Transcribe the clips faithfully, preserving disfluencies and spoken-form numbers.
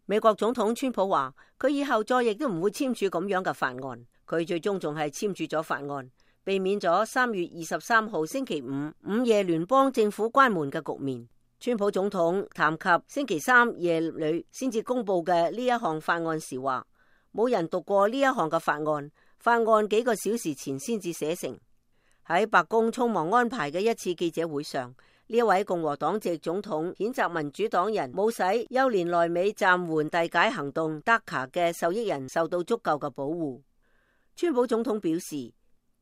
美國總統川普話，佢以後再亦都唔會簽署咁樣嘅法案。佢最終仲係簽署咗法案，避免咗三月二十三號星期五午夜聯邦政府關門嘅局面。川普總統談及星期三夜裏先至公布嘅呢一項法案時話，冇人讀過呢一項嘅法案，法案幾個小時前先至寫成。喺白宮匆忙安排嘅一次記者會上，呢一位共和黨籍總統譴責民主黨人冇使幼年來美暫緩遞解行動 D A C A 嘅受益人受到足夠嘅保護。川普總統表示，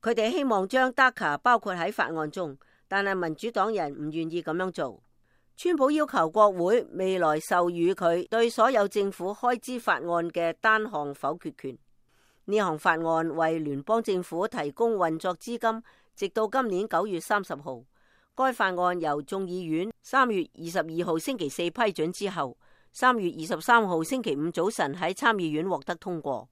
佢哋希望將 D A C A 包括喺法案中，但係民主黨人唔願意咁樣做。川普要求國會未來授予佢對所有政府開支法案嘅單項否決權。呢項法案為聯邦政府提供運作資金，直到今年九月三十號。該法案由眾議院三月二十二號星期四批准之後，三月二十三號星期五早晨喺參議院獲得通過。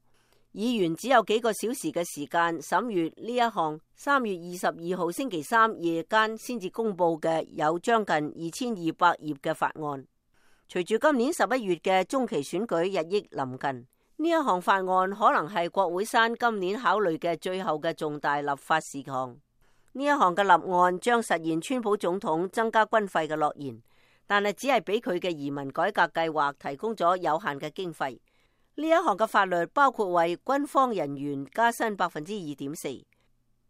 議員只有幾個小時嘅時間審閱呢一項三月二十二號星期三夜間先至公布嘅有將近二千二百頁嘅法案。隨住今年十一月嘅中期選舉日益臨近，呢一項法案可能係國會山今年考慮嘅最後嘅重大立法事項。呢一項嘅立案將實現川普總統增加軍費嘅諾言，但係只係俾佢嘅移民改革計劃提供咗有限嘅經費。呢一項嘅法律包括為軍方人員加薪百分之二點四。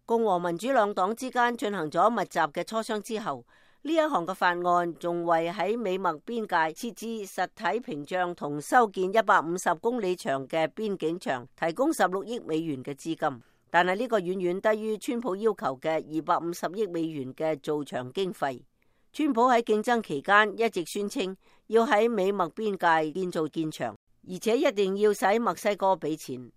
共和民主兩黨之間進行咗密集嘅磋商之後，呢一項嘅法案仲為喺美墨邊界設置實體屏障同修建一百五十公里長嘅邊境牆提供十六億美元嘅資金，但係呢個遠遠低於川普要求嘅二百五十億美元嘅造牆經費。川普喺競爭期間一直宣稱要喺美墨邊界建造建牆，而且一定要使墨西哥俾錢。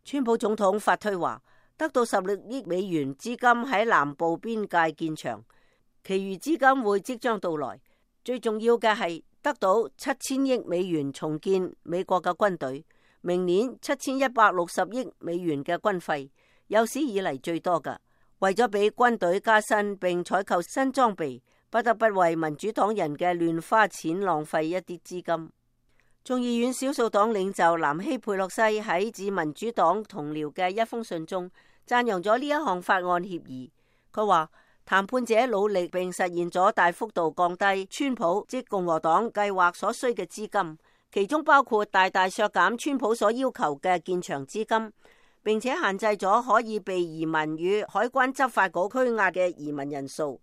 川普總統發推話，得到十六億美元資金喺南部邊界建牆，其餘資金會即將到來。最重要嘅係得到七千億美元重建美國嘅軍隊，明年七千一百六十億美元嘅軍費，有史以嚟最多㗎。為咗俾軍隊加薪並採購新裝備，不得不為民主黨人嘅亂花錢浪費一啲資金。眾議院少數黨領袖南希佩洛西喺致民主黨同僚嘅一封信中讚揚咗呢一項法案協議。佢話談判者努力並實現咗大幅度降低川普即共和黨計劃所需嘅資金，其中包括大大削減川普所要求嘅建牆資金，並且限制咗可以被移民與海關執法局拘押嘅移民人數。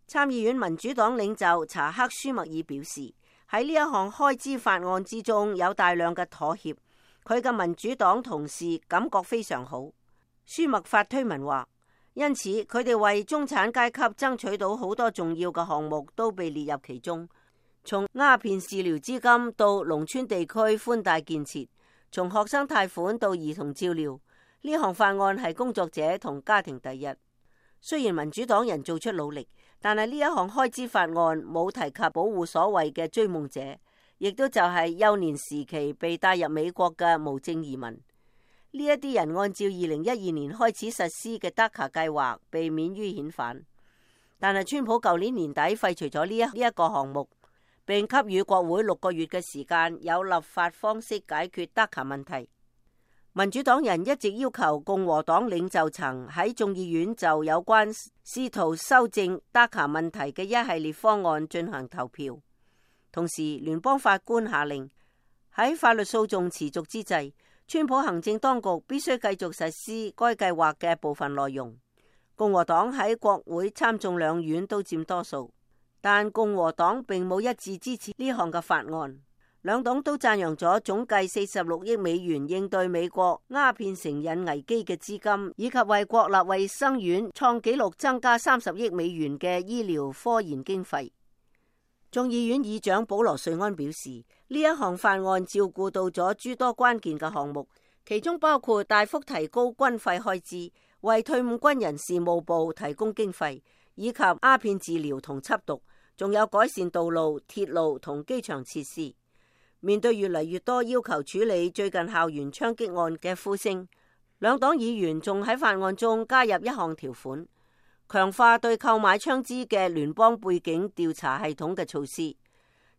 參議院民主黨領袖查克舒默爾表示，喺呢一項開支法案之中有大量嘅妥協，佢嘅民主黨同事感覺非常好。舒默發推文話，因此佢哋為中產階級爭取到好多重要嘅項目都被列入其中，從鴉片治療資金到農村地區寬帶建設，從學生貸款到兒童照料，呢項法案係工作者同家庭第一。雖然民主黨人做出努力，但係呢一項開支法案冇提及保護所謂嘅追夢者，亦都就係幼年時期被帶入美國嘅無證移民。呢一啲人按照二零一二年開始實施嘅 D A C A 計劃被免於遣返，但係川普舊年年底廢除咗呢一呢一個項目，並給予國會六個月嘅時間有立法方式解決 D A C A 問題。民主黨人一直要求共和黨領袖層喺眾議院就有關試圖修正 D A C A 問題嘅一系列方案進行投票。同時，聯邦法官下令喺法律訴訟持續之際，川普行政當局必須繼續實施該計劃嘅部分內容。共和黨喺國會參眾兩院都佔多數，但共和黨並冇一致支持呢項嘅法案。兩黨都讚揚咗總計四十六億美元應對美國鴉片成癮危機嘅資金，以及為國立衛生院創紀錄增加三十億美元嘅醫療科研經費。眾議院議長保羅瑞安表示，呢一項法案照顧到咗諸多關鍵嘅項目，其中包括大幅提高軍費開支，為退伍軍人事務部提供經費，以及鴉片治療同緝毒，仲有改善道路、鐵路同機場設施。面對越嚟越多要求處理最近校園槍擊案嘅呼聲，兩黨議員仲喺法案中加入一項條款，強化對購買槍支嘅聯邦背景調查系統嘅措施，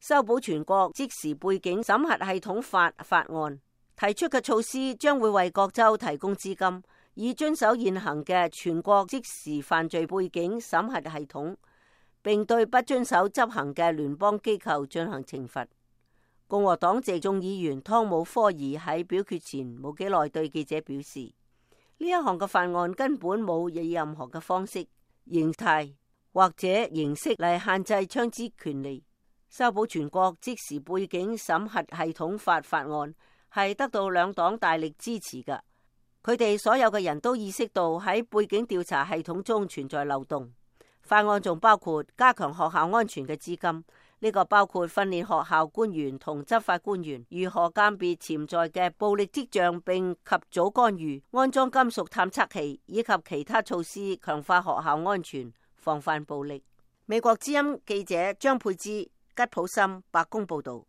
修補全國即時背景審核系統法法案提出嘅措施，將會為各州提供資金，以遵守現行嘅全國即時犯罪背景審核系統，並對不遵守執行嘅聯邦機構進行懲罰。共和黨籍眾議員湯姆科爾喺表決前冇幾耐對記者表示，呢一項嘅法案根本冇以任何嘅方式、形態或者形式嚟限制槍支權利。修補全國即時背景審核系統法法案係得到兩黨大力支持嘅。佢哋所有嘅人都意識到喺背景調查系統中存在漏洞。法案仲包括加強學校安全嘅資金，呢個包括訓練學校官員同執法官員如何鑑別潛在嘅暴力跡象並及早干預，安裝金屬探測器以及其他措施，強化學校安全，防範暴力。美國之音記者張佩芝、吉普森白宮報道。